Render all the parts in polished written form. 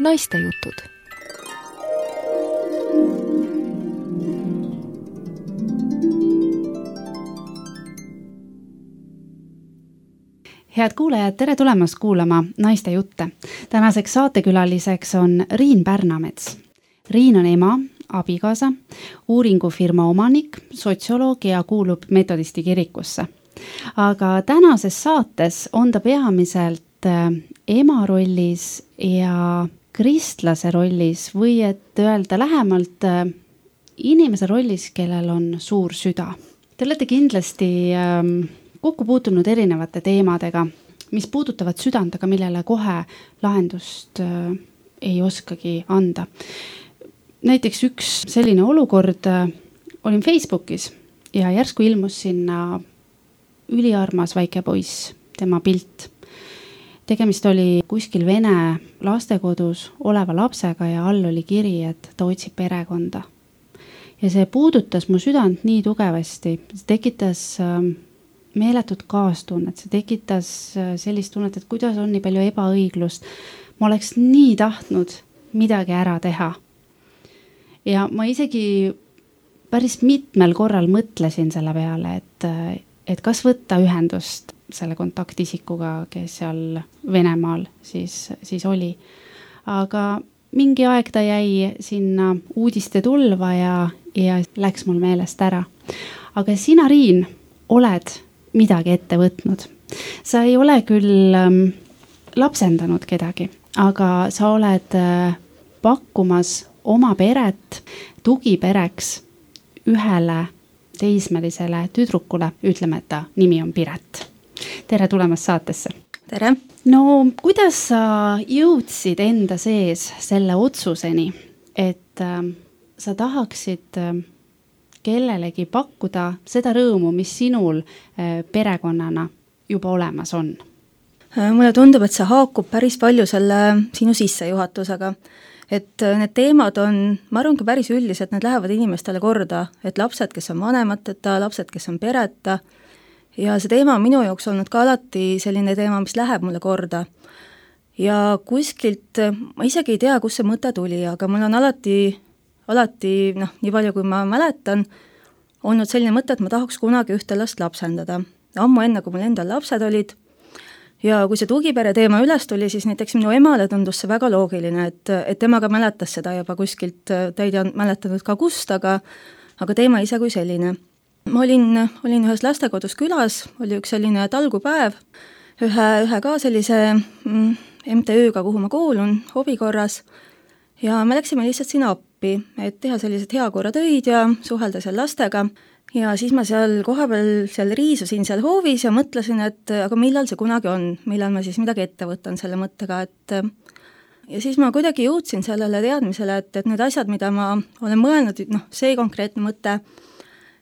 Naistejutud. Head kuulajad, tere tulemast kuulama Naiste jutte. Tänaseks saatekülaliseks on Riin Pärnamets. Riin on ema, abikaasa, uuringufirma omanik, sotsioloog ja kuulub metodisti kirikusse. Aga tänases saates on ta peamiselt ema rollis ja kristlase rollis või et öelda lähemalt inimese rollis, kellel on suur süda. Te olete kindlasti kokku puutunud erinevate teemadega, mis puudutavad südant, aga millele kohe lahendust ei oskagi anda. Näiteks üks selline olukord, olin Facebookis ja järsku ilmus sinna üliarmas väike poiss, tema pilt. Tegemist oli kuskil vene lastekodus oleva lapsega ja all oli kiri, et ta otsib perekonda. Ja see puudutas mu südant nii tugevasti, see tekitas meeletut kaastunnet, see tekitas sellist tunnet, et kuidas on nii palju ebaõiglust. Ma oleks nii tahtnud midagi ära teha. Ja ma isegi päris mitmel korral mõtlesin selle peale, et kas võtta ühendust selle kontaktisikuga, kes seal Venemaal siis oli. Aga mingi aeg ta jäi sinna uudiste tulva ja läks mul meelest ära. Aga sina, Riin, oled midagi ette võtnud. Sa ei ole küll lapsendanud kedagi, aga sa oled pakkumas oma peret tugipereks ühele teismelisele tüdrukule, ütleme, et ta nimi on Piret. Tere tulemast saatesse. Tere. No, kuidas sa jõudsid enda sees selle otsuseni, et sa tahaksid kellelegi pakkuda seda rõõmu, mis sinul perekonnana juba olemas on? Mulle tundub, et see haakub päris palju selle sinu sissejuhatusega. Et need teemad on, ma arvangi päris üldised, need lähevad inimestele korda, et lapsed, kes on vanemateta, lapsed, kes on pereta, ja see teema on minu jaoks olnud ka alati selline teema, mis läheb mulle korda. Ja kuskilt, ma isegi ei tea, kus see mõte tuli, aga mul on alati, nii palju kui ma mäletan, olnud selline mõte, et ma tahaks kunagi ühte last lapsendada. Ammu enne, kui mul endal lapsed olid. Ja kui see tugipere teema üles tuli, siis näiteks minu emale tundus see väga loogiline, et temaga mäletas seda juba kuskilt, ta ei mäletanud ka kust, aga teema ise kui selline. Ma olin ühes lastekodus külas, oli üks selline talgupäev, ühe ka sellise MTÜ-ga, kuhu ma kuulun, hobikorras, ja me läksime lihtsalt sinna appi, et teha sellised heakorratöid ja suhelda seal lastega. Ja siis ma seal kohapeal riisusin seal hoovis ja mõtlesin, et aga millal see kunagi on, millal ma siis midagi ette võtan selle mõttega, ja siis ma kuidagi jõudsin sellele teadmisele, et need asjad, mida ma olen mõelnud, see konkreetne mõte,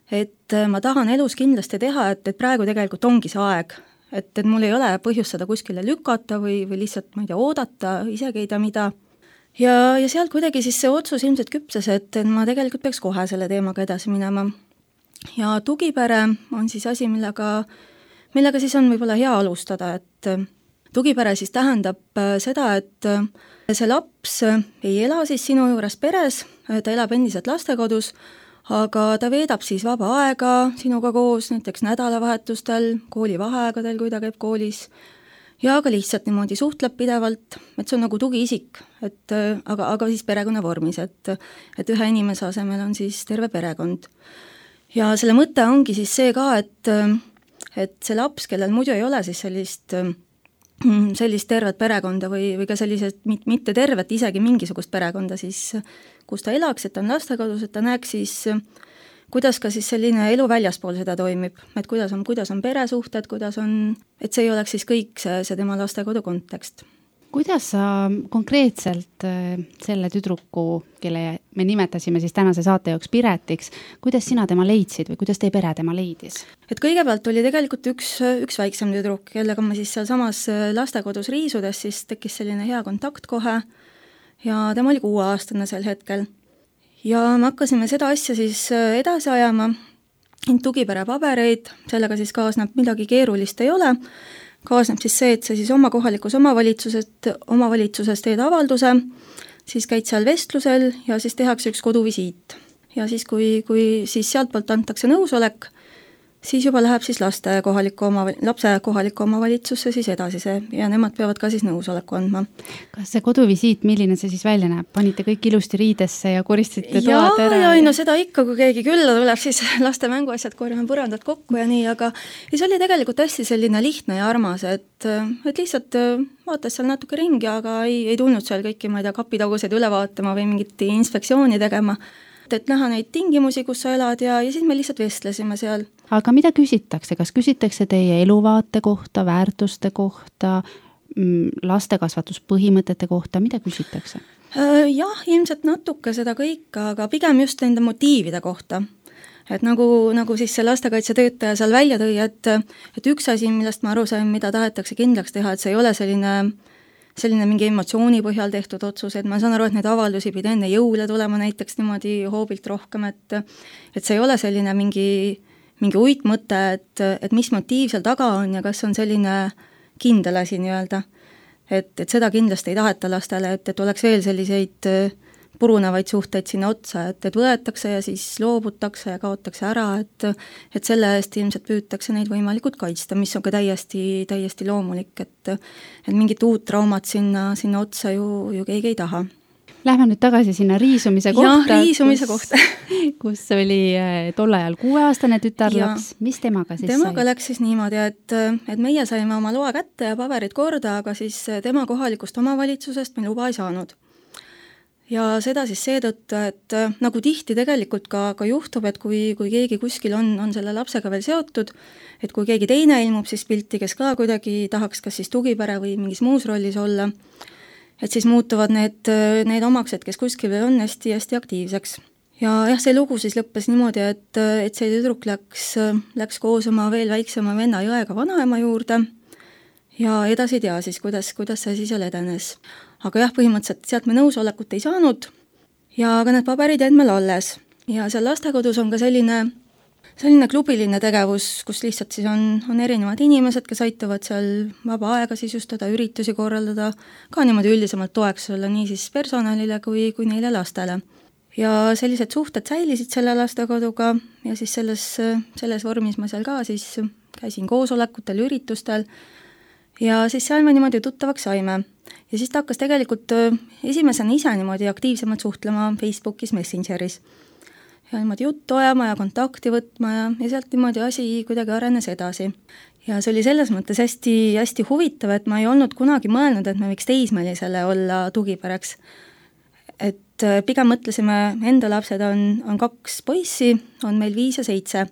et ma tahan elus kindlasti teha, et praegu tegelikult ongi see aeg, et mul ei ole põhjust seda kuskile lükata või lihtsalt, ma ei tea, oodata, isegi ei tea mida. Ja sealt kuidagi siis see otsus ilmselt küpses, et ma tegelikult peaks kohe selle teemaga edasi minema. Ja tugipere on siis asi, millega siis on võib-olla hea alustada, et tugipere siis tähendab seda, et see laps ei ela siis sinu juures peres, ta elab endiselt lastekodus, aga ta veedab siis vaba aega sinuga koos, näiteks nädalavahetustel, koolivaheaegadel, kui ta käib koolis, ja ka lihtsalt niimoodi suhtleb pidevalt, et see on nagu tugiisik, aga siis perekonna vormis, et ühe inimese asemel on siis terve perekond. Ja selle mõte ongi siis see ka, et see laps, kellel muidu ei ole siis sellist tervet perekonda või ka sellised mitte tervet, isegi mingisugust perekonda siis, kus ta elaks, et ta on lastekodus, et ta näeks siis, kuidas ka siis selline elu väljaspool seda toimib, et kuidas on peresuhted, et see ei oleks siis kõik see tema lastekodu kontekst. Kuidas sa konkreetselt selle tüdruku, kelle me nimetasime siis tänase saate jaoks Piretiks, kuidas sina tema leidsid või kuidas teie pere tema leidis? Et kõigepealt oli tegelikult üks väiksem tüdruk, kellega ma siis seal samas lastekodus riisudes, siis tekkis selline hea kontakt kohe ja tema oli 6-aastane sel hetkel. Ja me hakkasime seda asja siis edasi ajama, tugipere pabereid, sellega siis kaasneb midagi keerulist ei ole. kaasneb siis see, et sa siis oma kohalikus omavalitsuses teed avalduse, siis käid seal vestlusel ja siis tehakse üks koduvisiit. Ja siis, kui siis sealtpoolt antakse nõusolek, siis juba läheb siis lapse kohalikku omavalitsusse siis edasi see ja nemad peavad ka siis nõusoleku andma. Kas see koduvisiit, milline see siis välja näeb? Panite kõik ilusti riidesse ja koristasite toad ära? Ja no seda ikka, kui keegi külla tuleb, siis laste mänguasjad korjame põrandad kokku ja nii, aga see oli tegelikult hästi selline lihtne ja armas, et lihtsalt vaatas seal natuke ringi, aga ei tulnud seal kõiki, ma ei tea, kapitaguseid üle vaatama või mingit inspektsiooni tegema. Et näha neid tingimusi, kus sa elad ja siis me lihtsalt vestlesime seal. Aga mida küsitakse? Kas küsitakse teie eluvaate kohta, väärtuste kohta, lastekasvatuspõhimõtete kohta, mida küsitakse? Jah, ilmselt natuke seda kõike, aga pigem just nende motiivide kohta. Et nagu siis see lastekaitsetöötaja seal välja tõi, et üks asi, millest ma aru sain, mida tahetakse kindlaks teha, et see ei ole selline mingi emotsiooni põhjal tehtud otsus, et ma saan aru, et neid avaldusi pidi enne jõule tulema näiteks niimoodi hoobilt rohkem, et see ei ole selline mingi uitmõte, et mis motiiv seal taga on ja kas on selline kindel asi nii-öelda. Et seda kindlasti ei taheta lastele, et oleks veel selliseid purunevaid suhteid sinna otsa, et võetakse ja siis loobutakse ja kaotakse ära, et selle eest ilmselt püütakse neid võimalikult kaitsta, mis on ka täiesti loomulik, et mingit uut traumat sinna otsa ju keegi ei taha. Lähme nüüd tagasi sinna riisumise kohta. Jah, riisumise kohta. kus oli tol ajal 6-aastane tütarlaps. Mis temaga siis Temaga läks siis niimoodi, et meie saime oma loa kätte ja paberid korda, aga siis tema kohalikust omavalitsusest me luba ei saanud. Ja seda siis seetõttu, et nagu tihti tegelikult ka juhtub, et kui keegi kuskil on selle lapsega veel seotud, et kui keegi teine ilmub siis pilti, kes ka kuidagi tahaks kas siis tugipere või mingis muus rollis olla, et siis muutuvad need omaksed, kes kuskil veel on hästi aktiivseks. Ja jah, see lugu siis lõppes niimoodi, et see tüdruk läks koos oma veel väiksema venna jõega vanaema juurde ja edasi ei tea siis, kuidas see siis seal edenes. Aga jah, põhimõtteliselt sealt me nõusolekut ei saanud ja ka need paberid jäid meil alles. Ja seal lastekodus on ka selline klubiline tegevus, kus lihtsalt siis on erinevad inimesed, kes aitavad seal vaba aega sisustada, üritusi korraldada, ka niimoodi üldisemalt toeks olla nii siis personalile kui neile lastele. Ja sellised suhted säilisid selle lastekoduga ja siis selles vormis ma seal ka siis käisin koosolekutel, üritustel ja siis seal me niimoodi tuttavaks saime. Ja siis ta hakkas tegelikult esimesena ise niimoodi aktiivsemalt suhtlema Facebookis, Messengeris. Ja niimoodi juttu ajama ja kontakti võtma ja sealt niimoodi asi kuidagi arenes edasi. Ja see oli selles mõttes hästi huvitav, et ma ei olnud kunagi mõelnud, et me võiks teismelisele olla tugipereks. Et pigem mõtlesime, enda lapsed on 2 poissi, on meil 5 ja 7.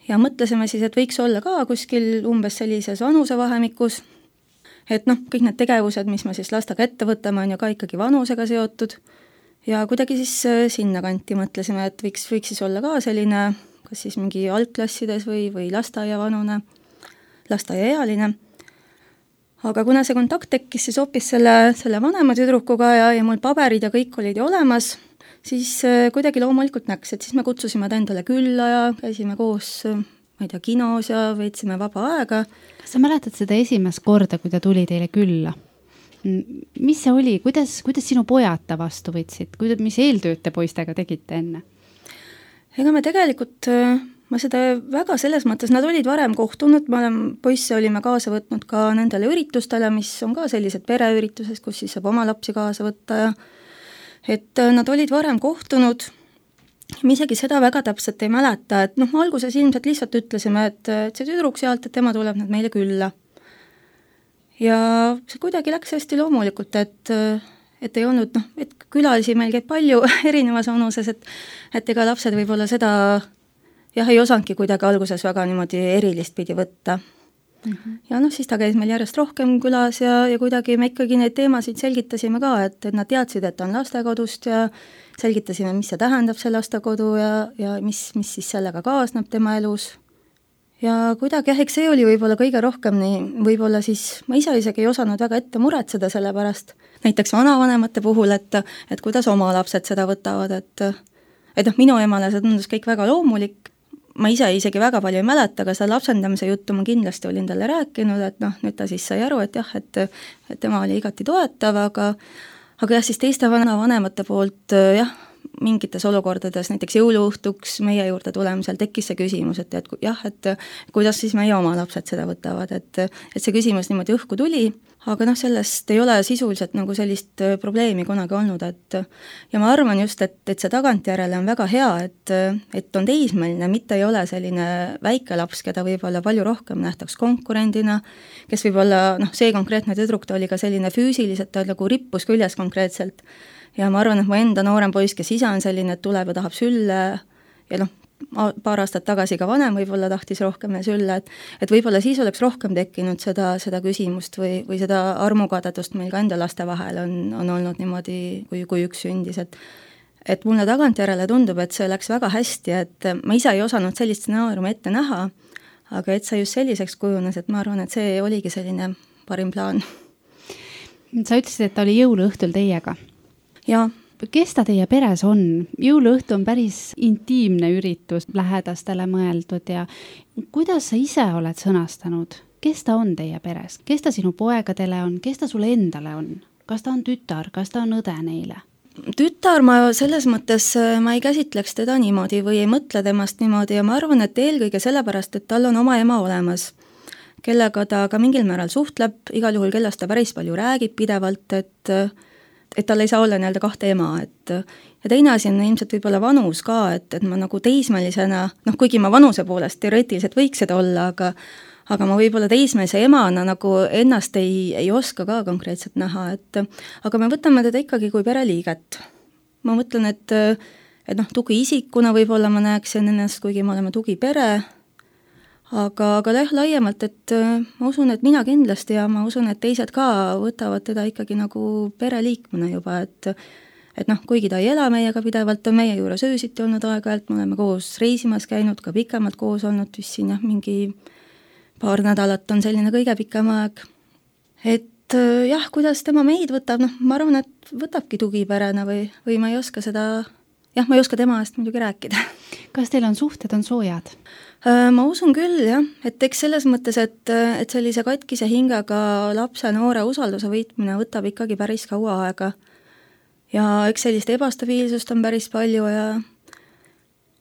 Ja mõtlesime siis, et võiks olla ka kuskil umbes sellises vanusevahemikus, et kõik need tegevused, mis me siis lastega ette võtame, on ju ka ikkagi vanusega seotud ja kuidagi siis sinna kanti mõtlesime, et võiks siis olla ka selline, kas siis mingi algklassides või lasteaiavanune, lasteaiaealine. Aga kuna see kontakt tekkis siis hoopis selle vanema tüdrukuga ja mul paberid ja kõik olid ju olemas, siis kuidagi loomulikult näks, et siis me kutsusime ta endale külla ja käisime koos ma ei tea, kinos ja veetsime vaba aega. Kas sa mäletad seda esimest korda, kui ta tuli teile külla? Mis see oli? Kuidas sinu pojad ta vastu võtsid? Mis eeltööd te poistega tegite enne? Ega me tegelikult, ma seda väga selles mõttes, nad olid varem kohtunud, poisse olime kaasa võtnud ka nendele üritustele, mis on ka sellised pereürituses, kus siis saab oma lapsi kaasa võtta ja et nad olid varem kohtunud. Me isegi seda väga täpselt ei mäleta, et alguses ilmselt lihtsalt ütlesime, et see tüdruk sealt, et tema tuleb nüüd meile külla. Ja see kuidagi läks hästi loomulikult, et ei olnud, et külalisi meil käib palju erinevas vanuses, et ega lapsed võib-olla seda ei osanudki kuidagi alguses väga niimoodi erilist pidi võtta. Ja siis ta käis meil järjest rohkem külas ja kuidagi me ikkagi neid teemasid selgitasime ka, et nad teadsid, et on lastekodust ja selgitasime, mis see tähendab see lastekodu ja mis siis sellega kaasneb tema elus. Ja kuidagi eks see oli võib-olla kõige rohkem nii, võib-olla siis ma ise isegi ei osanud väga ette muretseda selle pärast, näiteks vanavanemate puhul, et kuidas oma lapsed seda võtavad, et minu emale see tundus kõik väga loomulik. ma ise isegi väga palju ei mäleta, aga seda lapsendamise juttu ma kindlasti olin talle rääkinud, et noh, nüüd ta siis sai aru, et jah, et tema oli igati toetav, aga jah, siis teiste vanemate poolt jah, mingites olukordades, näiteks jõuluõhtuks meie juurde tulemisel tekkis see küsimus, et jah, et kuidas siis meie oma lapsed seda võtavad, et see küsimus niimoodi õhku tuli, aga noh, sellest ei ole sisuliselt nagu sellist probleemi kunagi olnud, et ja ma arvan just, et see tagantjärele on väga hea, et on teismeline, mitte ei ole selline väike laps, keda võib-olla palju rohkem nähtaks konkurendina, kes võib-olla, noh, see konkreetne tüdruk, ta oli ka selline füüsiliselt, ta nagu rippus küljes konkreetselt, ja ma arvan, et mu enda noorem poiss, kes ise on selline, et tuleb ja tahab sülle ja noh, paar aastat tagasi ka vanem võib-olla tahtis rohkem sülle, et võib-olla siis oleks rohkem tekkinud seda küsimust või seda armukadedust meil ka enda laste vahel on olnud niimoodi, kui üks sündis, et mulle tagantjärele tundub, et see läks väga hästi, et ma ise ei osanud sellist stsenaariumi ette näha, aga et see just selliseks kujunes, et ma arvan, et see oligi selline parim plaan. Sa ütlesid, et ta oli jõuluõhtul teiega. Jaa. Kes ta teie peres on? Jõuluõhtu on päris intiimne üritus, lähedastele mõeldud ja kuidas sa ise oled sõnastanud? Kes ta on teie peres? Kes ta sinu poegadele on? Kes ta sulle endale on? Kas ta on tütar? Kas ta on õde neile? Tütar ma selles mõttes, ma ei käsitleks teda niimoodi või ei mõtle temast niimoodi ja ma arvan, et eelkõige sellepärast, et tal on oma ema olemas, kellega ta ka mingil määral suhtleb, igal juhul kellest ta päris palju räägib pidevalt, et tal ei saa olla nii-öelda kahte ema, ja teine asi on ilmselt võib-olla vanus ka, et ma nagu teismelisena, noh, kuigi ma vanuse poolest teoreetiliselt võiks seda olla, aga ma võib-olla teismelise emana nagu ennast ei oska ka konkreetselt näha, aga me võtame teda ikkagi kui pereliiget. Ma mõtlen, et noh, tugiisikuna võib-olla ma näeksin ennast, kuigi me oleme tugipere, aga laiemalt, et ma usun, et mina kindlasti ja ma usun, et teised ka võtavad teda ikkagi nagu pereliikmena juba, et noh, kuigi ta ei ela meiega pidevalt, on meie juures öösiti olnud aeg-ajalt, me oleme koos reisimas käinud, ka pikemalt koos olnud, vist siin jah, mingi paar nädalat on selline kõige pikem aeg. Et jah, kuidas tema meid võtab, noh, ma arvan, et võtabki tugiperena või ma ei oska seda, jah, ma ei oska tema eest muidugi rääkida. Kas teil on suhted, on soojad? Ma usun küll, jah, et eks selles mõttes, et sellise katkise hingega lapse noore usalduse võitmine võtab ikkagi päris kaua aega. Ja eks sellist ebastabiilsust on päris palju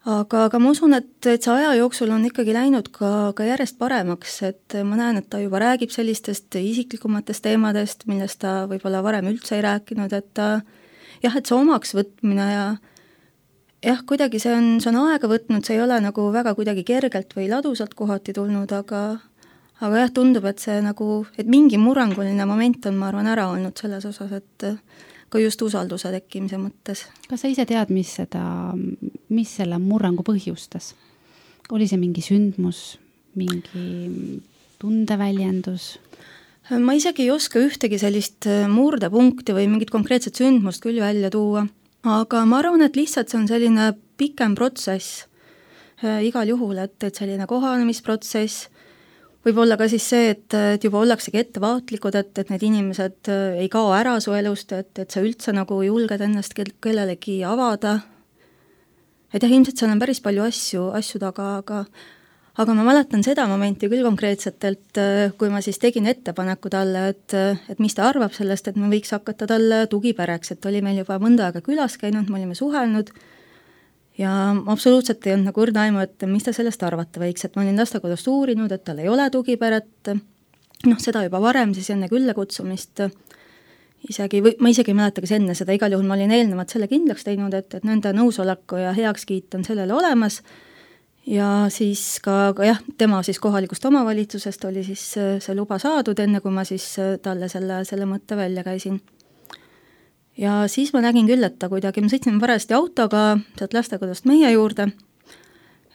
aga ma usun, et see aja jooksul on ikkagi läinud ka järjest paremaks, et ma näen, et ta juba räägib sellistest isiklikumatest teemadest, millest ta võib-olla varem üldse ei rääkinud, et ta jah, et see omaks võtmine ja jah, kuidagi see on aega võtnud, see ei ole nagu väga kuidagi kergelt või ladusalt kohati tulnud, aga jah, tundub, et see nagu, et mingi murranguline moment on, ma arvan, ära olnud selles osas, et ka just usalduse tekkimise mõttes. Kas sa ise tead, mis selle murrangu põhjustas? Oli see mingi sündmus, mingi tundeväljendus? Ma isegi ei oska ühtegi sellist murdepunkti või mingit konkreetset sündmust küll välja tuua. Aga ma arvan, et lihtsalt see on selline pikem protsess igal juhul, et selline kohanemisprotsess, võib-olla ka siis see, et juba ollaksegi ettevaatlikud, et need inimesed ei kao ära su elust, et sa üldse nagu julged ennast kellelegi avada. Et jah, ilmselt seal on päris palju asju taga, aga ma mäletan seda momenti küll konkreetselt, et kui ma siis tegin ettepaneku talle, et mis ta arvab sellest, et me võiks hakata talle tugipereks, et oli meil juba mõnda aega külas käinud, me olime suhelnud ja absoluutselt ei olnud nagu õrna aimu, et mis ta sellest arvata võiks, et ma olin lastekodust uurinud, et tal ei ole tugiperet, noh, seda juba varem siis enne külla kutsumist, ma isegi ei mäleta, kas enne seda, igal juhul ma olin eelnevalt selle kindlaks teinud, et nende nõusoleku ja heakskiit on sellele olemas ja siis ka jah, tema siis kohalikust omavalitsusest oli siis see luba saadud, enne kui ma siis talle selle mõtte välja käisin. Ja siis ma nägin küll, et ta kuidagi, me sõitsime parajasti autoga sealt lastekodust meie juurde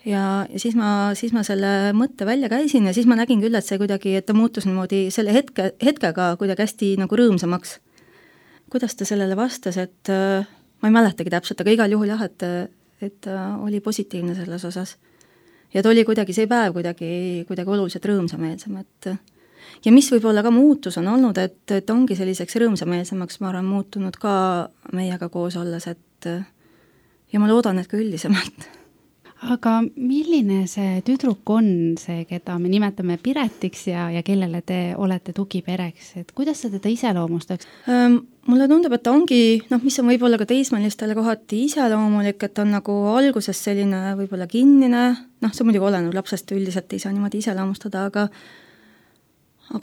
ja siis ma selle mõtte välja käisin ja siis ma nägin küll, et see kuidagi, et ta muutus niimoodi selle hetkega kuidagi hästi nagu rõõmsamaks. Kuidas ta sellele vastas, et ma ei mäletagi täpselt, aga igal juhul jah, et oli positiivne selles osas. Ja ta oli kuidagi see päev kuidagi oluliselt rõõmsameelsem, ja mis võib-olla ka muutus on olnud, et ongi selliseks rõõmsameelsemaks, ma arvan, muutunud ka meiega koos olles, ja ma loodan, et ka üldisemalt. Aga milline see tüdruk on see, keda me nimetame Piretiks ja kellele te olete tugipereks, et kuidas sa teda iseloomustaks? Mulle tundub, et ta ongi, mis on võib-olla ka teismelistele kohati iseloomulik, et on nagu alguses selline võib-olla kinnine, see muidugi oleneb lapsest, üldiselt ei saa niimoodi iseloomustada, aga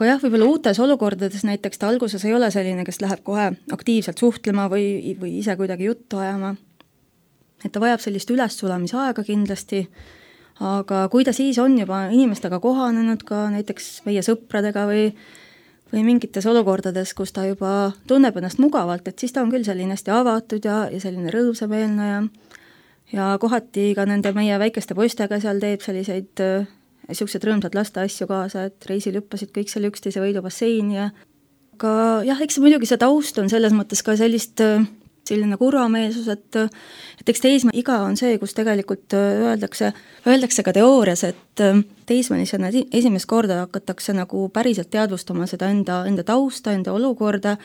jah, võib-olla uutes olukordades näiteks ta alguses ei ole selline, kes läheb kohe aktiivselt suhtlema või ise kuidagi juttu ajama. Et ta vajab sellist ülessulamisaega kindlasti, aga kui ta siis on juba inimestega kohanenud ka näiteks meie sõpradega või mingites olukordades, kus ta juba tunneb ennast mugavalt, et siis ta on küll selline hästi avatud ja selline rõõmsameelne ja kohati ka nende meie väikeste poistega seal teeb selliseid niisugused rõõmsad lasteasju kaasa, et reisil hüppasid kõik seal üksteise võidubasseini aga jah, eks muidugi see taust on selles mõttes ka selline kurvameelsus, et eks teismeiga on see, kus tegelikult öeldakse ka teoorias, et teismelisena esimest korda hakatakse nagu päriselt teadvustama seda enda tausta, enda olukorda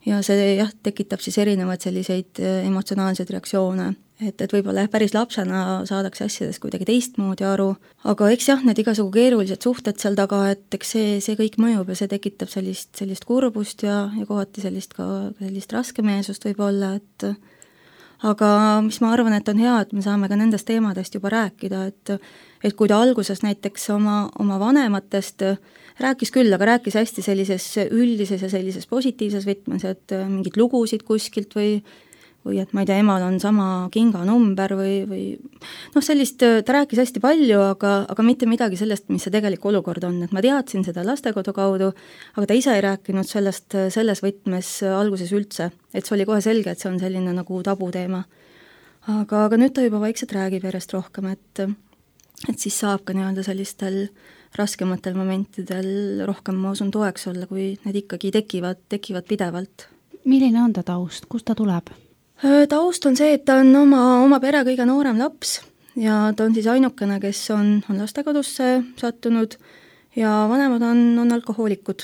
ja see jah, tekitab siis erinevaid selliseid emotsionaalseid reaktsioone. Et võib-olla päris lapsena saadakse asjadest kuidagi teistmoodi aru, aga eks jah, need igasugu keerulised suhted seal taga, et eks see kõik mõjub ja see tekitab sellist kurbust ja kohati sellist raskemeelsust võib-olla, aga mis ma arvan, et on hea, et me saame ka nendest teemadest juba rääkida, et kui ta alguses näiteks oma vanematest rääkis küll, aga rääkis hästi sellises üldises ja sellises positiivses võtmes, et mingid lugusid kuskilt või et ma ei tea, emal on sama kinganumber või sellist, ta rääkis hästi palju, aga mitte midagi sellest, mis see tegelik olukord on, et ma teadsin seda lastekodu kaudu, aga ta ise ei rääkinud sellest selles võtmes alguses üldse, et see oli kohe selge, et see on selline nagu tabuteema. Aga nüüd ta juba vaikselt räägib järjest rohkem, et siis saab ka nii-öelda sellistel raskematel momentidel rohkem, ma usun, toeks olla, kui need ikkagi tekivad pidevalt. Milline on ta taust, kust ta tuleb? Taust on see, et ta on oma pere kõige noorem laps ja ta on siis ainukene, kes on lastekodusse sattunud ja vanemad on alkohoolikud.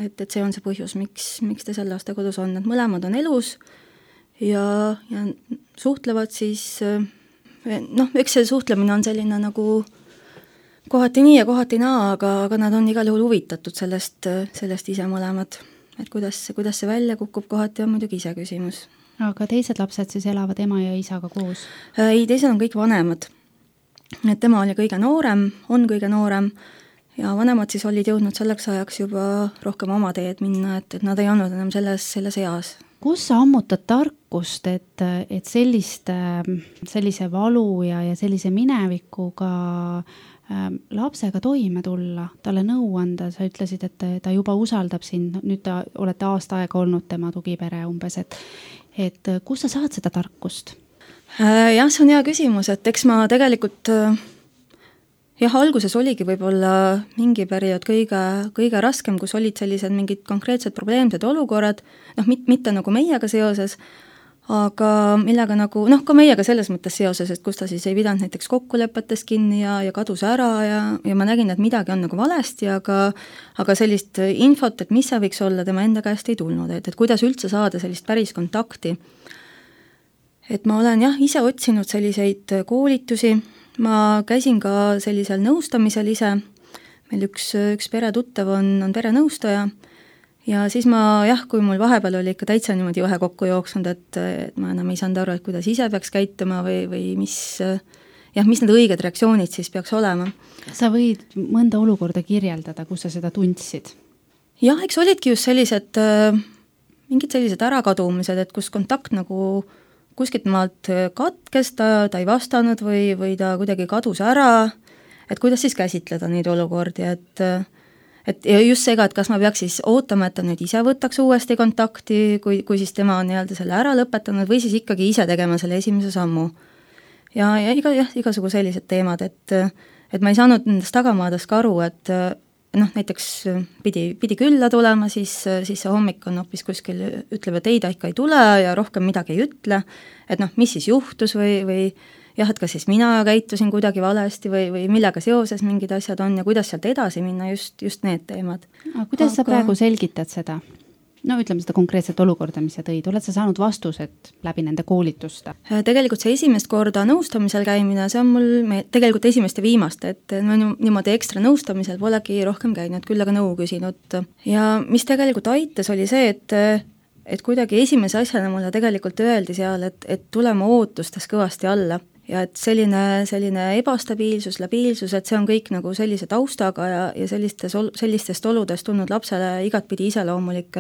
Et see on see põhjus, miks ta seal lastekodus on, et mõlemad on elus ja suhtlevad siis, eks see suhtlemine on selline nagu kohati nii ja kohati naa, aga nad on igal juhul huvitatud sellest ise mõlemad. Et kuidas see välja kukub kohati on muidugi ise küsimus. Aga teised lapsed siis elavad ema ja isaga koos? Ei, teised on kõik vanemad. Et tema oli kõige noorem, on kõige noorem ja vanemad siis olid jõudnud selleks ajaks juba rohkem oma teed minna, et nad ei olnud enam selles eas. Kus sa ammutad tarkust, et sellise valu ja sellise minevikuga lapsega toime tulla, talle nõu anda, sa ütlesid, et ta juba usaldab sind, nüüd ta olete aasta aega olnud tema tugipere umbes, et kus sa saad seda tarkust? Jah, see on hea küsimus, et eks ma tegelikult alguses oligi võib-olla mingi periood kõige raskem, kus olid sellised mingid konkreetsed probleemsed olukorrad, mitte nagu meiega seoses, aga millega nagu, ka meiega selles mõttes seoses, et kus ta siis ei pidanud näiteks kokkulepetest kinni ja kadus ära ja ma nägin, et midagi on nagu valesti, aga sellist infot, et mis see võiks olla, tema enda käest ei tulnud, et kuidas üldse saada sellist päris kontakti. Et ma olen ise otsinud selliseid koolitusi, ma käisin ka sellisel nõustamisel ise, meil üks peretuttav on perenõustaja, ja siis kui mul vahepeal oli ikka täitsa niimoodi vahe kokku jooksnud, et ma enam ei saanud aru, et kuidas ise peaks käituma või mis need õiged reaktsioonid siis peaks olema. Sa võid mõnda olukorda kirjeldada, kus sa seda tundsid? Jah, eks olidki just mingid sellised ärakadumised, et kus kontakt nagu kuskilt maalt katkes, ta ei vastanud või ta kuidagi kadus ära, et kuidas siis käsitleda neid olukordi, et just seega, et kas ma peaks siis ootama, et ta nüüd ise võtaks uuesti kontakti, kui siis tema on selle ära lõpetanud või siis ikkagi ise tegema selle esimese sammu. Ja igasugu sellised teemad, et ma ei saanud nendest tagamaadest ka aru, et näiteks pidi külla tulema, siis see hommik on hoopis kuskil, ütleb, et ei, ta ikka ei tule ja rohkem midagi ei ütle, et mis siis juhtus või et kas siis mina käitusin kuidagi valesti või millega seoses mingid asjad on ja kuidas sealt edasi minna, just need teemad. Aga kuidas sa praegu selgitad seda? no ütleme seda konkreetset olukorda, mis sa tõid, oled sa saanud vastused läbi nende koolituste? Tegelikult see esimest korda nõustamisel käimine, see on mul tegelikult esimest ja viimast, et ma niimoodi ekstra nõustamisel polegi rohkem käinud, küll aga nõu küsinud. Ja mis tegelikult aitas, oli see, et kuidagi esimese asjana mulle tegelikult öeldi seal, et tulema ootustes kõvasti alla. Ja et selline ebastabiilsus, labiilsus, et see on kõik nagu sellise taustaga ja sellistest oludest tulnud lapsele igatpidi iseloomulik,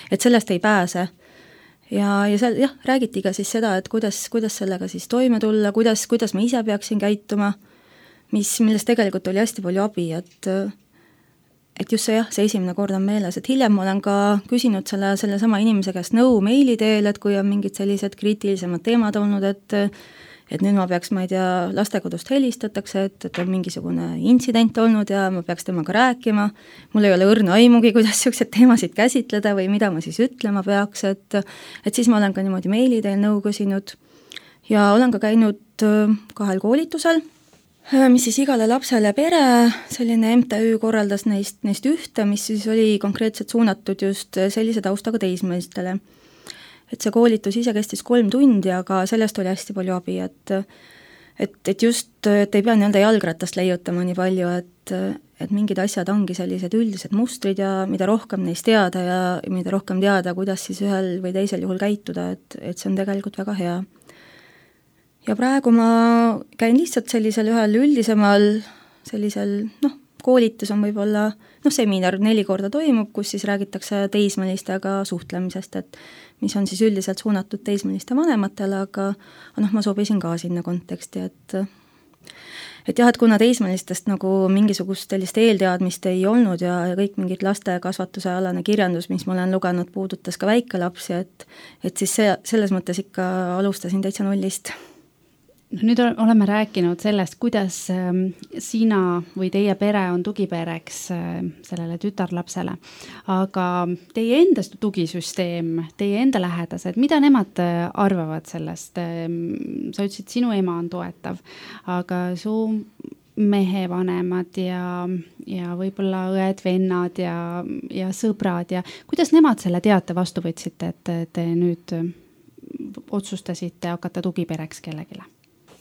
et sellest ei pääse. Ja seal räägiti ka siis seda, et kuidas sellega siis toime tulla, kuidas ma ise peaksin käituma, millest tegelikult oli hästi palju abi, et just see esimene kord on meeles, et hiljem ma olen ka küsinud selle sama inimese käest nõu meili teel, et kui on mingid sellised kriitilisemad teemad olnud, et nüüd ma peaks, ma ei tea, lastekodust helistatakse, et on mingisugune intsident olnud ja ma peaks temaga rääkima, mul ei ole õrna aimugi, kuidas sellised teemasid käsitleda või mida ma siis ütlema peaks, et siis ma olen ka niimoodi meili teel nõu küsinud ja olen ka käinud 2 koolitusel, mis siis igale lapsele pere, selline MTÜ korraldas neist ühte, mis siis oli konkreetselt suunatud just sellise taustaga teismelistele. Et see koolitus ise kestis 3 tundi, aga sellest oli hästi palju abi, et just, et ei pea nii-öelda jalgratast leiutama nii palju, et mingid asjad ongi sellised üldised mustrid ja mida rohkem neist teada ja mida rohkem teada, kuidas siis ühel või teisel juhul käituda, et see on tegelikult väga hea. Ja praegu ma käin lihtsalt sellisel ühel üldisemal sellisel, koolitus on võib-olla, seminar 4 korda toimub, kus siis räägitakse teismelistega suhtlemisest, et mis on siis üldiselt suunatud teismeliste vanematele, aga ma sobisin ka sinna konteksti, et kuna teismelistest nagu mingisugust sellist eelteadmist ei olnud ja kõik mingid laste kasvatuse alane kirjandus, mis ma olen lugenud, puudutas ka väikelapsi, et siis selles mõttes ikka alustasin täitsa nullist. Nüüd oleme rääkinud sellest, kuidas sina või teie pere on tugipereks sellele tütarlapsele, aga teie enda tugisüsteem, teie enda lähedased, mida nemad arvavad sellest? Sa ütlesid, sinu ema on toetav, aga su mehe vanemad ja võib-olla õed, vennad ja sõbrad ja kuidas nemad selle teate vastu võtsite, et te nüüd otsustasite hakata tugipereks kellegile?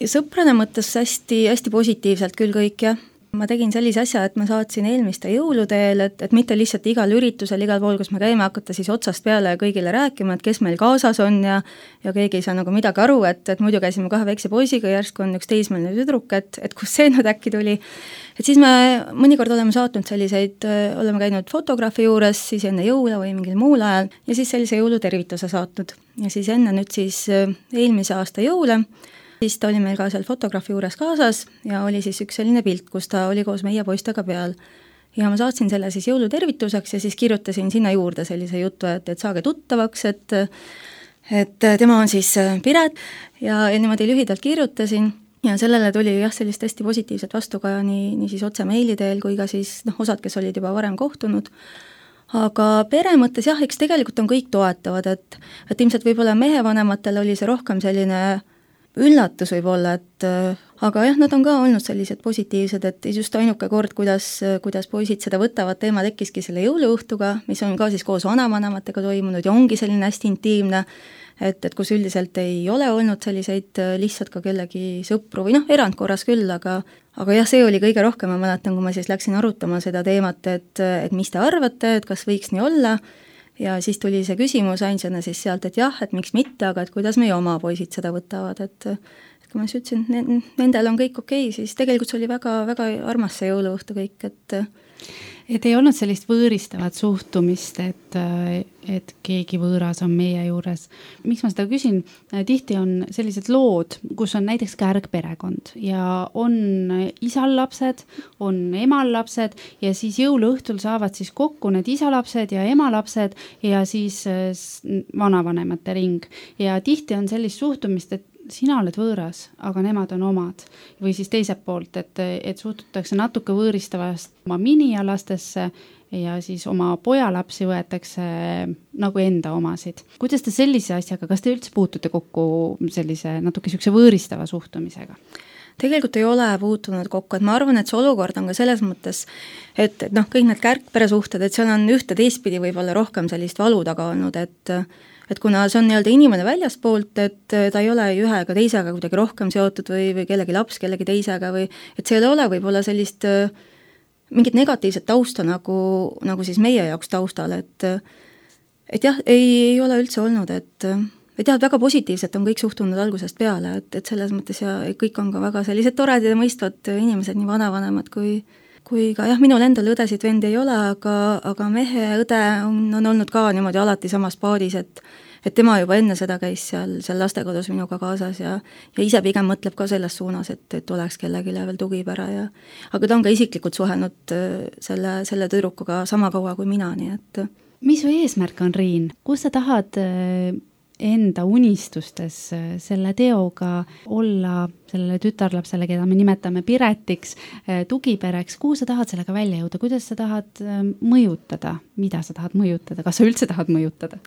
Ja sõprane mõttes hästi positiivselt küll kõik, jah. Ma tegin sellise asja, et ma saatsin eelmiste jõuludeel, et mitte lihtsalt igal üritusel, igal pool, kus me käime, hakata siis otsast peale kõigile rääkima, et kes meil kaasas on ja keegi ei saa nagu midagi aru, et muidu käisime 2 väikse poisiga, järsku on üks teismeline tüdruk, et kus see nüüd äkki tuli. Et siis me mõnikord oleme saatnud selliseid, oleme käinud fotograafi juures, siis enne jõule või mingil muul ajal ja siis sellise jõulutervituse saatnud. Ja siis enne nüüd siis eelmise aasta jõule, siis ta oli meil ka seal fotograafi juures kaasas ja oli siis üks selline pilt, kus ta oli koos meie poistega peal. Ja ma saatsin selle siis jõulutervituseks ja siis kirjutasin sinna juurde sellise jutu, et saage tuttavaks, et tema on siis Piret ja niimoodi lühidalt kirjutasin ja sellele tuli sellist hästi positiivset vastu ka nii siis otse meili teel kui ka siis osad, kes olid juba varem kohtunud. Aga pere mõttes eks tegelikult on kõik toetavad, et ilmselt võib-olla mehe vanematel oli see rohkem selline üllatus võib-olla, aga nad on ka olnud sellised positiivsed, et just ainuke kord, kuidas poisid seda võtavad, teema tekkiski selle jõuluõhtuga, mis on ka siis koos vanavanematega toimunud ja ongi selline hästi intiimne, et kus üldiselt ei ole olnud selliseid lihtsalt ka kellegi sõpru või erandkorras küll, aga see oli kõige rohkem, ma mäletan, kui ma siis läksin arutama seda teemat, et mis te arvate, et kas võiks nii olla. Ja siis tuli see küsimus ainsana siis sealt, et et miks mitte, aga et kuidas meie oma poisid seda võtavad, et kui ma siis ütlesin, nendel on kõik okei, siis tegelikult see oli väga, väga armas see jõuluõhtu kõik, et ei olnud sellist võõristavat suhtumist, et keegi võõras on meie juures. Miks ma seda küsin? Tihti on sellised lood, kus on näiteks kärgperekond ja on isal lapsed, on emal lapsed ja siis jõuluõhtul saavad siis kokku need isalapsed ja emalapsed ja siis vanavanemate ring. Ja tihti on sellist suhtumist, et sina oled võõras, aga nemad on omad. Või siis teiselt poolt, et suhtutakse natuke võõristavast oma minialastesse ja siis oma pojalapsi võetakse nagu enda omasid. Kuidas te sellise asjaga, kas te üldse puutute kokku sellise natuke võõristava suhtumisega? tegelikult ei ole puutunud kokku, et ma arvan, et see olukord on ka selles mõttes, et noh, kõik need kärgperesuhted, et seal on ühte teistpidi võib-olla rohkem sellist valu taga olnud, et kuna see on nii-öelda inimene väljaspoolt, et ta ei ole ühe ega teisega kuidagi rohkem seotud või kellegi laps kellegi teisega või et see ei ole võib-olla sellist mingit negatiivset tausta nagu siis meie jaoks taustal, et jah, ei ole üldse olnud, et jah, väga positiivselt on kõik suhtunud algusest peale, et selles mõttes ja kõik on ka väga sellised toredad ja mõistvad inimesed, nii vanavanemad kui ka jah, minul endal õdesid vendi ei ole, aga mehe õde on olnud ka niimoodi alati samas paadis, et tema juba enne seda käis seal lastekodus minuga kaasas ja ise pigem mõtleb ka selles suunas, et oleks kellelegi veel tugipere aga ta on ka isiklikult suhelnud selle tüdrukuga sama kaua kui mina, nii et mis su eesmärk on, Riin? Kus sa tahad enda unistustes selle teoga olla sellele tütarlapsele, keda me nimetame Piretiks, tugipereks, kuhu sa tahad sellega välja jõuda, kuidas sa tahad mõjutada, mida sa tahad mõjutada, kas sa üldse tahad mõjutada?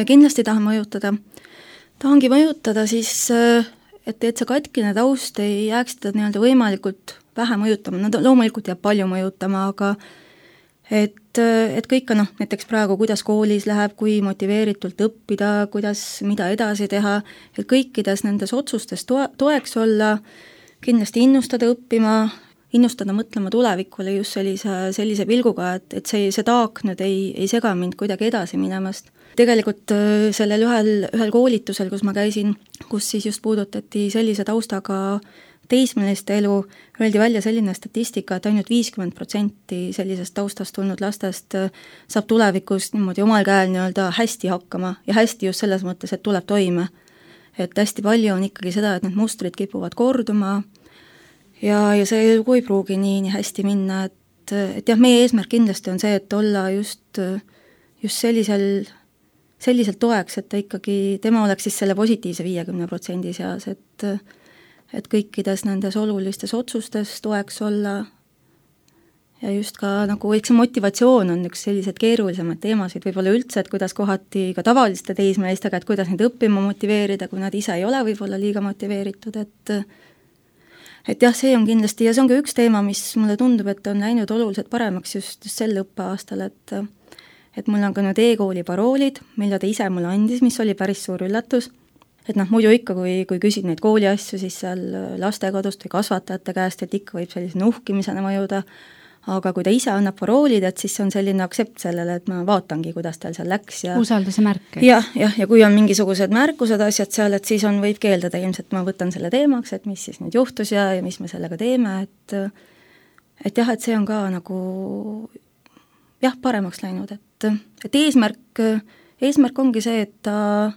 Kindlasti tahan mõjutada. Tahangi mõjutada siis, et see katkine taust ei jääks teda nii-öelda võimalikult vähe mõjutama, no loomulikult jääb palju mõjutama, aga et kõik on näiteks praegu, kuidas koolis läheb, kui motiveeritult õppida, mida edasi teha, et kõikides nendes otsustes toeks olla, kindlasti innustada õppima, innustada mõtlema tulevikule just sellise pilguga, et see taak nüüd ei sega mind kuidagi edasi minemast. Tegelikult sellel ühel koolitusel, kus ma käisin, kus siis just puudutati sellise taustaga teismeliste elu, öeldi välja selline statistika, et ainult 50% sellisest taustast tulnud lastest saab tulevikus niimoodi omal käel nii-öelda hästi hakkama ja hästi just selles mõttes, et tuleb toime. Et hästi palju on ikkagi seda, et need mustrid kipuvad korduma ja see lugu ei pruugi nii hästi minna, et jah, meie eesmärk kindlasti on see, et olla just selliselt toeks, et ta ikkagi, tema oleks siis selle positiivse 50% seas, et kõikides nendes olulistes otsustes toeks olla ja just ka nagu eks see motivatsioon on üks sellised keerulisemaid teemasid võib-olla üldse, et kuidas kohati ka tavaliste teismelistega, et kuidas neid õppima motiveerida, kui nad ise ei ole võib-olla liiga motiveeritud, et jah, see on kindlasti ja see on ka üks teema, mis mulle tundub, et on läinud oluliselt paremaks just sel õppeaastal, et mul on ka nüüd e-kooli paroolid, mille ta ise mulle andis, mis oli päris suur üllatus. Et muidu ikka, kui küsid neid kooli asju, siis seal lastekodust või kasvatajate käest, et ikka võib sellise nuhkimisena mõjuda, aga kui ta ise annab paroolid, et siis on selline aktsept sellele, et ma vaatangi, kuidas tal seal läks. Usalduse märk. Ja kui on mingisugused märkused asjad seal, et siis võib keeldada ilmselt, ma võtan selle teemaks, et mis siis nüüd juhtus ja mis me sellega teeme, et jah, et see on ka nagu jah, paremaks läinud, et eesmärk ongi see, et ta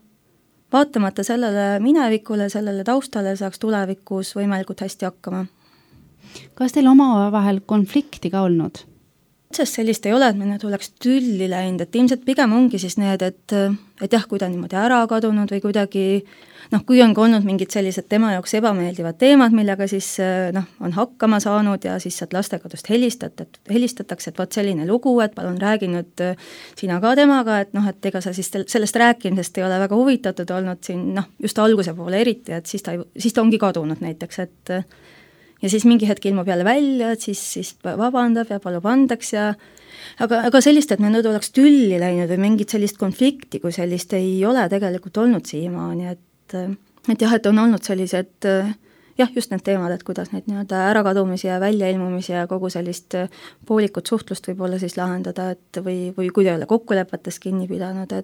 vaatamata sellele minevikule, sellele taustale saaks tulevikus võimalikult hästi hakkama. Kas teil omavahel konflikti ka olnud? Sest sellist ei ole, et me nüüd oleks tülli läinud, et ilmselt pigem ongi siis need, et jah, kui ta niimoodi ära kadunud või kuidagi, kui on ka olnud mingid sellised tema jaoks ebameeldivad teemad, millega siis on hakkama saanud ja siis sealt lastekodust helistatakse, et vot selline lugu, et palun räägi nüüd sina ka temaga, et ega sa siis sellest rääkimisest ei ole väga huvitatud olnud siin, just alguse poole eriti, et siis ta ongi kadunud näiteks, et ja siis mingi hetk ilmub jälle välja, et siis vabandab ja palub andeks ja aga sellist, et me nüüd oleks tülli läinud või mingit sellist konflikti, kui sellist ei ole tegelikult olnud siiamaani, et jah, et on olnud sellised jah, just need teemad, et kuidas neid nii-öelda ärakadumisi ja väljailmumisi ja kogu sellist poolikut suhtlust võib-olla siis lahendada, et või kui ei ole kokkulepetest kinni pidanud,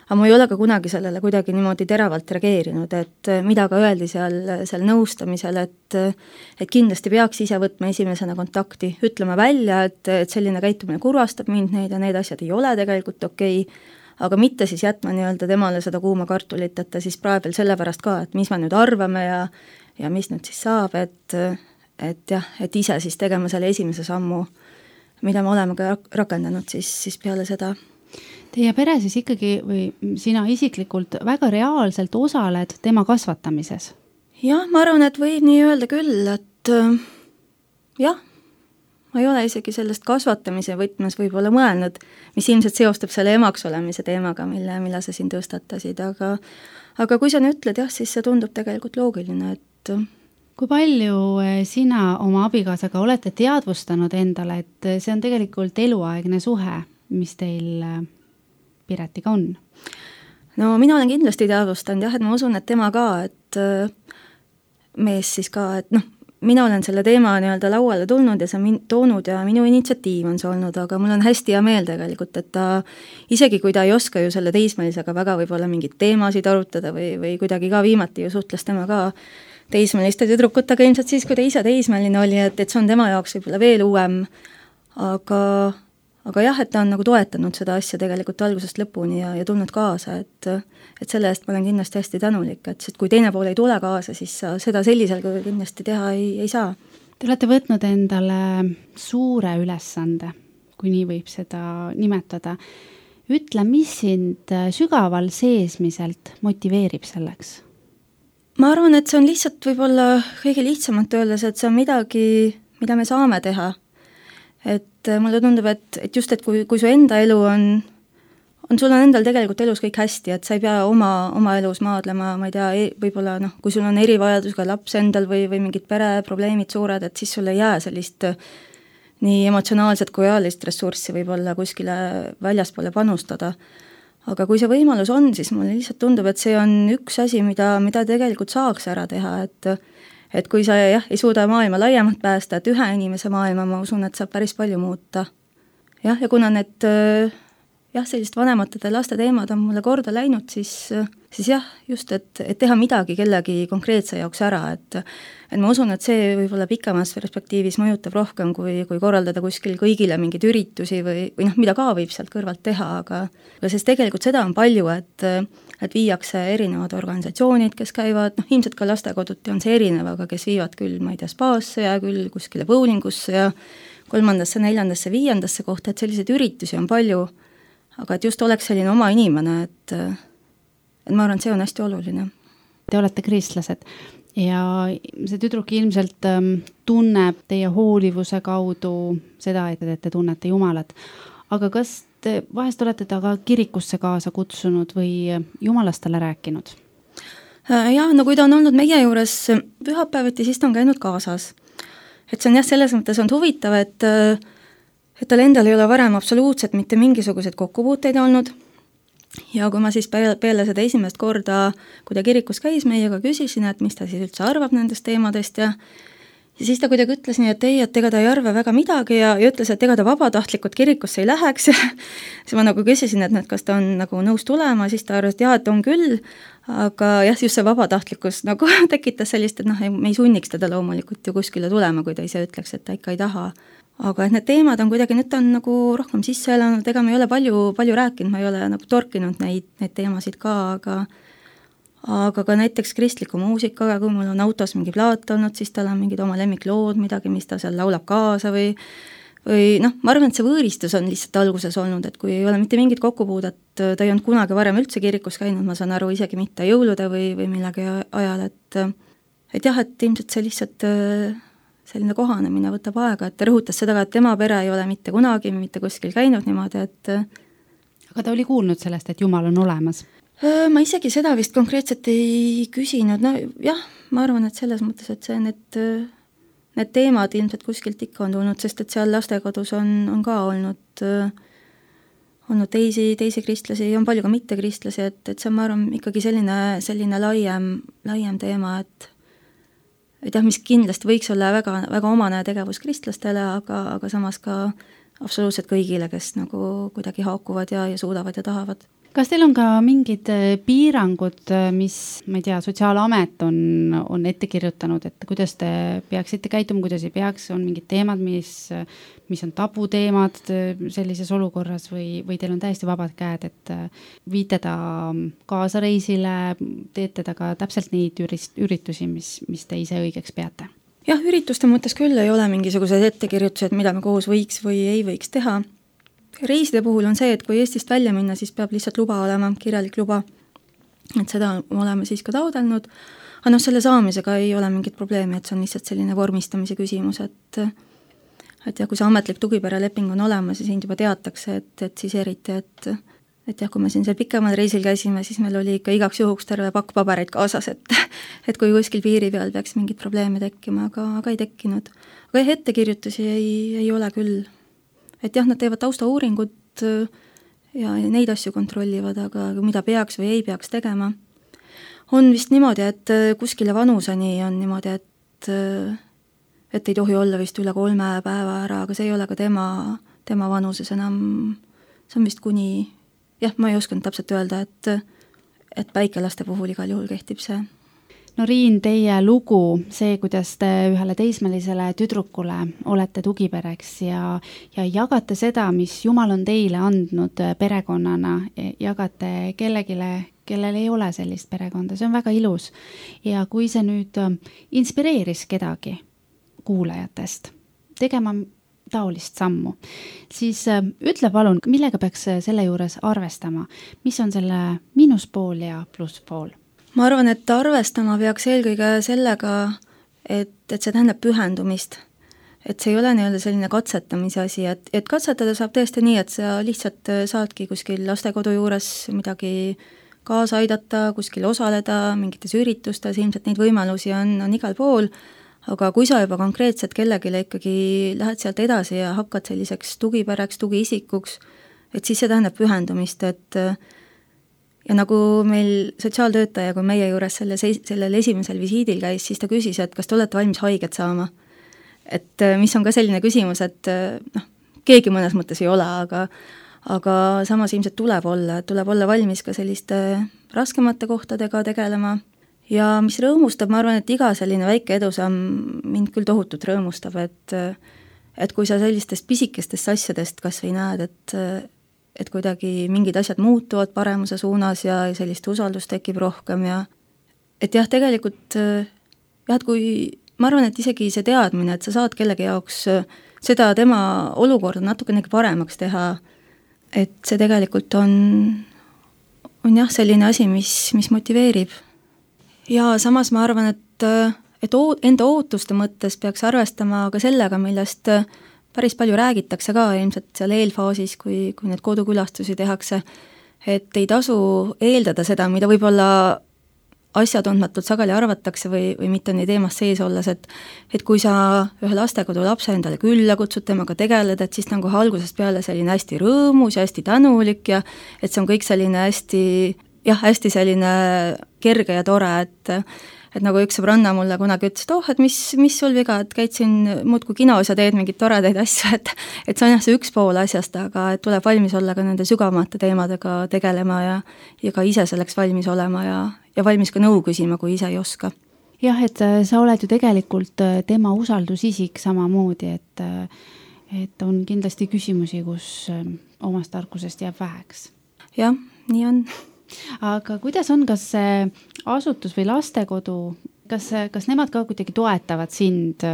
aga ma ei ole ka kunagi sellele kuidagi niimoodi teravalt reageerinud, et mida ka öeldi seal nõustamisel, et kindlasti peaks ise võtma esimesena kontakti, ütlema välja, et selline käitumine kurvastab mind, need ja need asjad ei ole tegelikult okei, aga mitte siis jätma nii-öelda temale seda kuuma kartulit, et ta siis praegu veel sellepärast ka, et mis me nüüd arvame ja mis nüüd siis saab, et jah, et ise siis tegema selle esimese sammu, mida me oleme ka rakendanud siis peale seda. Teie pere siis ikkagi või sina isiklikult väga reaalselt osaled tema kasvatamises? Jah, ma arvan, et võib nii öelda küll, et jah, ma ei ole isegi sellest kasvatamise võtmes võib-olla mõelnud, mis ilmselt seostub selle emaks olemise teemaga, mille sa siin tõstatasid, aga kui sa nüüd ütled, jah, siis see tundub tegelikult loogiline, Kui palju sina oma abikaasaga olete teadvustanud endale, et see on tegelikult eluaegne suhe, mis teil Piretiga on? No mina olen kindlasti teadvustanud jah, et ma usun, et tema ka, et mees siis ka, et mina olen selle teema nii-öelda lauale tulnud ja see on toonud ja minu initsiatiiv on see olnud, aga mul on hästi hea meel tegelikult, et ta, isegi kui ta ei oska ju selle teismelisega väga võib-olla mingeid teemasid arutada või kuidagi ka viimati ju suhtles tema ka teismeliste tüdrukutega ilmselt siis, kui ta ise teismeline oli, et see on tema jaoks võib-olla veel uuem, aga jah, et ta on nagu toetanud seda asja tegelikult algusest lõpuni ja tulnud kaasa, et selle eest ma olen kindlasti hästi tänulik, et kui teine pool ei tule kaasa, siis sa seda sellisel kujul kindlasti teha ei saa. Te olete võtnud endale suure ülesande, kui nii võib seda nimetada. Ütle, mis sind sügaval seesmiselt motiveerib selleks? Ma arvan, et see on lihtsalt võib-olla kõige lihtsamalt öeldes, et see on midagi, mida me saame teha. Et mulle tundub, et just, et kui su enda elu on sul on endal tegelikult elus kõik hästi, et sa ei pea oma elus maadlema, ma ei tea, võib-olla kui sul on erivajadusega laps endal või mingid pereprobleemid suured, et siis sul ei jää sellist nii emotsionaalset kui ajalist ressurssi võib-olla kuskile väljaspoole panustada. Aga kui see võimalus on, siis mulle lihtsalt tundub, et see on üks asi, mida tegelikult saaks ära teha, et kui sa ei suuda maailma laiemalt päästa, et ühe inimese maailma, ma usun, et saab päris palju muuta. Ja kuna need sellist vanematete laste teemad on mulle korda läinud, siis just, et teha midagi kellegi konkreetse jaoks ära, et ma usun, et see võib-olla pikemas perspektiivis mõjutab rohkem, kui korraldada kuskil kõigile mingeid üritusi või mida ka võib sealt kõrvalt teha, aga sest tegelikult seda on palju, et viiakse erinevad organisatsioonid, kes käivad, ilmselt ka lastekoduti on see erinev, aga kes viivad küll, ma ei tea, spaasse ja küll kuskile bowlingusse ja 3., 4., 5. kohta, et selliseid üritusi on palju, aga et just oleks selline oma inimene, et ma arvan, et see on hästi oluline. Te olete kristlased ja see tüdruk ilmselt tunneb teie hoolivuse kaudu seda, et te tunnete Jumalat. Aga kas te vahest olete ta ka kirikusse kaasa kutsunud või Jumalast talle rääkinud? Jah, kui ta on olnud meie juures pühapäeviti, siis ta on käinud kaasas. Et see on selles mõttes on huvitav, et tal endal ei ole varem absoluutselt mitte mingisuguseid kokkupuuteid olnud ja kui ma siis peale seda esimest korda, kui ta kirikus käis meiega, küsisin, et mis ta siis üldse arvab nendest teemadest ja siis ta kuidagi ütles nii, et et ega ta ei arva väga midagi ja ütles, et ega ta vabatahtlikult kirikusse ei läheks ja siis ma küsisin, et kas ta on nõus tulema, siis ta arvas, et et on küll, aga just see vabatahtlikkus tekitas sellist, et me ei sunniks teda loomulikult ju kuskile tulema, kui ta ise ütleks, et ta ikka ei taha. Aga et need teemad on kuidagi, nüüd ta on rohkem sisse elanud, ega ma ei ole palju rääkinud, ma ei ole torkinud neid teemasid ka, aga ka näiteks kristliku muusikaga, kui mul on autos mingi plaat olnud, siis tal on mingid oma lemmiklood, midagi, mis ta seal laulab kaasa või ma arvan, et see võõristus on lihtsalt alguses olnud, et kui ei ole mitte mingit kokkupuudet, ta ei olnud kunagi varem üldse kirikus käinud, ma saan aru, isegi mitte jõulude või millegi ajal, et ilmselt see lihtsalt selline kohanemine võtab aega, et ta rõhutas seda ka, et tema pere ei ole mitte kunagi mitte kuskil käinud niimoodi, et aga ta oli kuulnud sellest, et Jumal on olemas? Ma isegi seda vist konkreetselt ei küsinud, ma arvan, et selles mõttes, et see need teemad ilmselt kuskilt ikka on tulnud, sest et seal lastekodus on ka olnud teisi kristlasi, on palju ka mittekristlasi, et see on, ma arvan, ikkagi selline laiem teema, et mis kindlasti võiks olla väga, väga omane tegevus kristlastele, aga samas ka absoluutselt kõigile, kes kuidagi haakuvad ja suudavad ja tahavad. Kas teil on ka mingid piirangud, mis, ma ei tea, Sotsiaalamet on ette kirjutanud, et kuidas te peaksite käituma, kuidas ei peaks, on mingid teemad, mis on tabuteemad sellises olukorras või teil on täiesti vabad käed, et viite ta kaasareisile, teete ta ka täpselt neid üritusi, mis te ise õigeks peate? Jah, ürituste mõttes küll ei ole mingisugused ettekirjutused, mida me koos võiks või ei võiks teha. Reiside puhul on see, et kui Eestist välja minna, siis peab lihtsalt luba olema, kirjalik luba, et seda oleme siis ka taodelnud, aga selle saamisega ei ole mingit probleemi, et see on lihtsalt selline vormistamise küsimus, et kui see ametlik tugipereleping on olemas ja sind juba teatakse, et siis eriti, et et jah, kui me siin seal pikemal reisil käisime, siis meil oli ikka igaks juhuks terve pakk pabereid kaasas, et kui kuskil piiri peal peaks mingid probleeme tekkima, aga ei tekkinud. Aga ettekirjutusi ei ole küll. Et jah, nad teevad taustauuringut ja neid asju kontrollivad, aga mida peaks või ei peaks tegema. On vist niimoodi, et kuskile vanuseni on niimoodi, et ei tohi olla vist üle 3 päeva ära, aga see ei ole ka tema vanuses enam, see on vist kuni, jah, ma ei osanud täpselt öelda, et väikelaste puhul igal juhul kehtib see. No Riin, teie lugu, see, kuidas te ühele teismelisele tüdrukule olete tugipereks ja jagate seda, mis Jumal on teile andnud perekonnana, jagate kellegile, kellel ei ole sellist perekonda, see on väga ilus. Ja kui see nüüd inspireeris kedagi kuulajatest tegema taolist sammu, siis ütle palun, millega peaks selle juures arvestama, mis on selle miinuspool ja plusspool? Ma arvan, et arvestama peaks eelkõige sellega, et see tähendab pühendumist. Et see ei ole nii-öelda selline katsetamise asi, et katsetada saab tõesti nii, et sa lihtsalt saadki kuskil lastekodu juures midagi kaasa aidata, kuskil osaleda, mingites üritustes, ilmselt neid võimalusi on igal pool, aga kui sa juba konkreetselt kellegile ikkagi lähed sealt edasi ja hakkad selliseks tugipereks, tugiisikuks, et siis see tähendab pühendumist, et ja nagu meil sotsiaaltöötaja, kui meie juures sellel esimesel visiidil käis, siis ta küsis, et kas te olete valmis haiget saama. Et mis on ka selline küsimus, et keegi mõnes mõttes ei ole, aga samas ilmselt tuleb olla valmis ka selliste raskemate kohtadega tegelema. Ja mis rõõmustab, ma arvan, et iga selline väike edusamm mind küll tohutult rõõmustab, et kui sa sellistest pisikestest asjadest kas või näed, et kuidagi mingid asjad muutuvad paremuse suunas ja sellist usaldust tekib rohkem ja et jah, tegelikult jah, kui ma arvan, et isegi see teadmine, et sa saad kellegi jaoks seda tema olukorda natukene paremaks teha, et see tegelikult on jah selline asi, mis motiveerib. Ja samas ma arvan, et enda ootuste mõttes peaks arvestama ka sellega, millest päris palju räägitakse ka ilmselt seal eelfaasis, kui need kodukülastusi tehakse, et ei tasu eeldada seda, mida võib-olla asjatundmatult sageli arvatakse või mitte nii teemast sees olles, et kui sa ühe lastekodu lapse endale külla kutsud, temaga tegeled, et siis nagu algusest peale selline hästi rõõmus ja hästi tänulik ja et see on kõik selline hästi selline kerge ja tore, et nagu üks sõbranna mulle kunagi ütles, et et mis sul viga, et käid siin muudkui kinos ja teed mingeid toredaid asju, et see on jah see üks pool asjast, aga et tuleb valmis olla ka nende sügavamate teemadega tegelema ja ka ise selleks valmis olema ja valmis ka nõu küsima, kui ise ei oska. Jah, et sa oled ju tegelikult tema usaldusisik samamoodi, et on kindlasti küsimusi, kus omast tarkusest jääb väheks. Jah, nii on. Aga kuidas on, kas see asutus või lastekodu, kas nemad ka kuidagi toetavad sind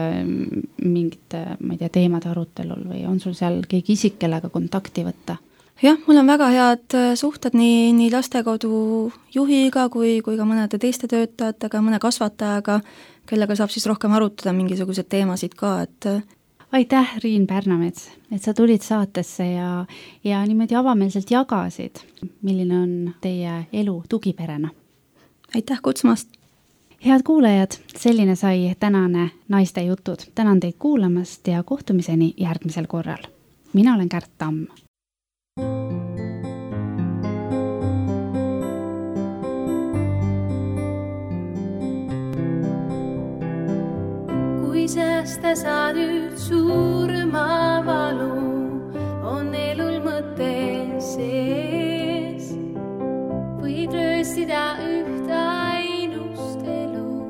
mingite, ma ei tea, teemade arutelul või on sul seal keegi isik, kellega kontakti võtta? Jah, mul on väga head suhted nii lastekodu juhiga kui ka mõnede teiste töötajatega, mõne kasvatajaga, kellega saab siis rohkem arutada mingisugused teemasid ka, et aitäh, Riin Pärnamets, et sa tulid saatesse ja niimoodi avameelselt jagasid, milline on teie elu tugiperena. Aitäh kutsumast! Head kuulajad, selline sai tänane Naiste jutud. Tänan teid kuulamast ja kohtumiseni järgmisel korral. Mina olen Kärt Tamm. Kui säästa saad nüüd suurema valu, on elul mõte sees. Võid rööstida ühta ainust elu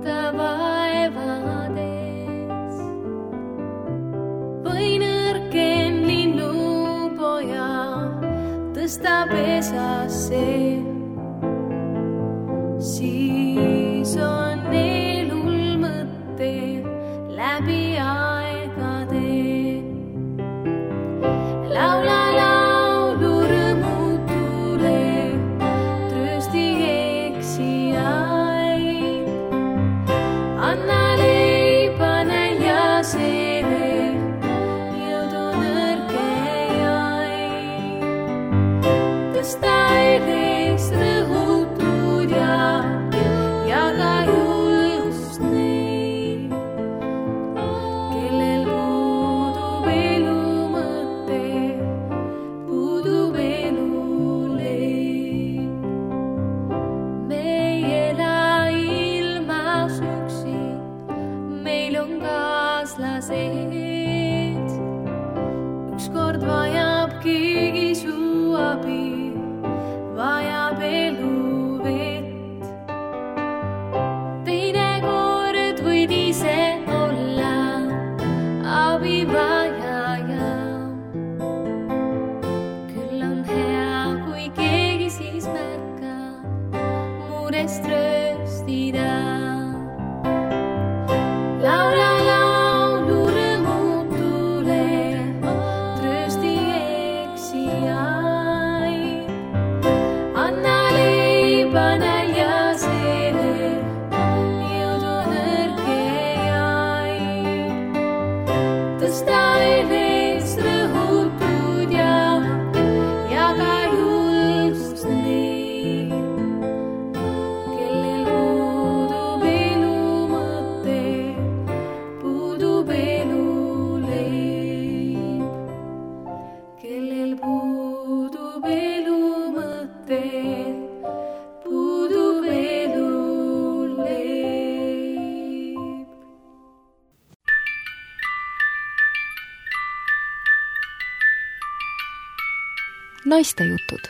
ta vaevades. Või nõrken linnupoja tõsta pesasse, siis on elul mõte läbi aegade. Laula laulu rõõmutule, tröösti eksijaid. Anna leiba näljasele, jõudu nõrkejaid. kellel puudub elu mõte, puudub elu leib. Naistejutud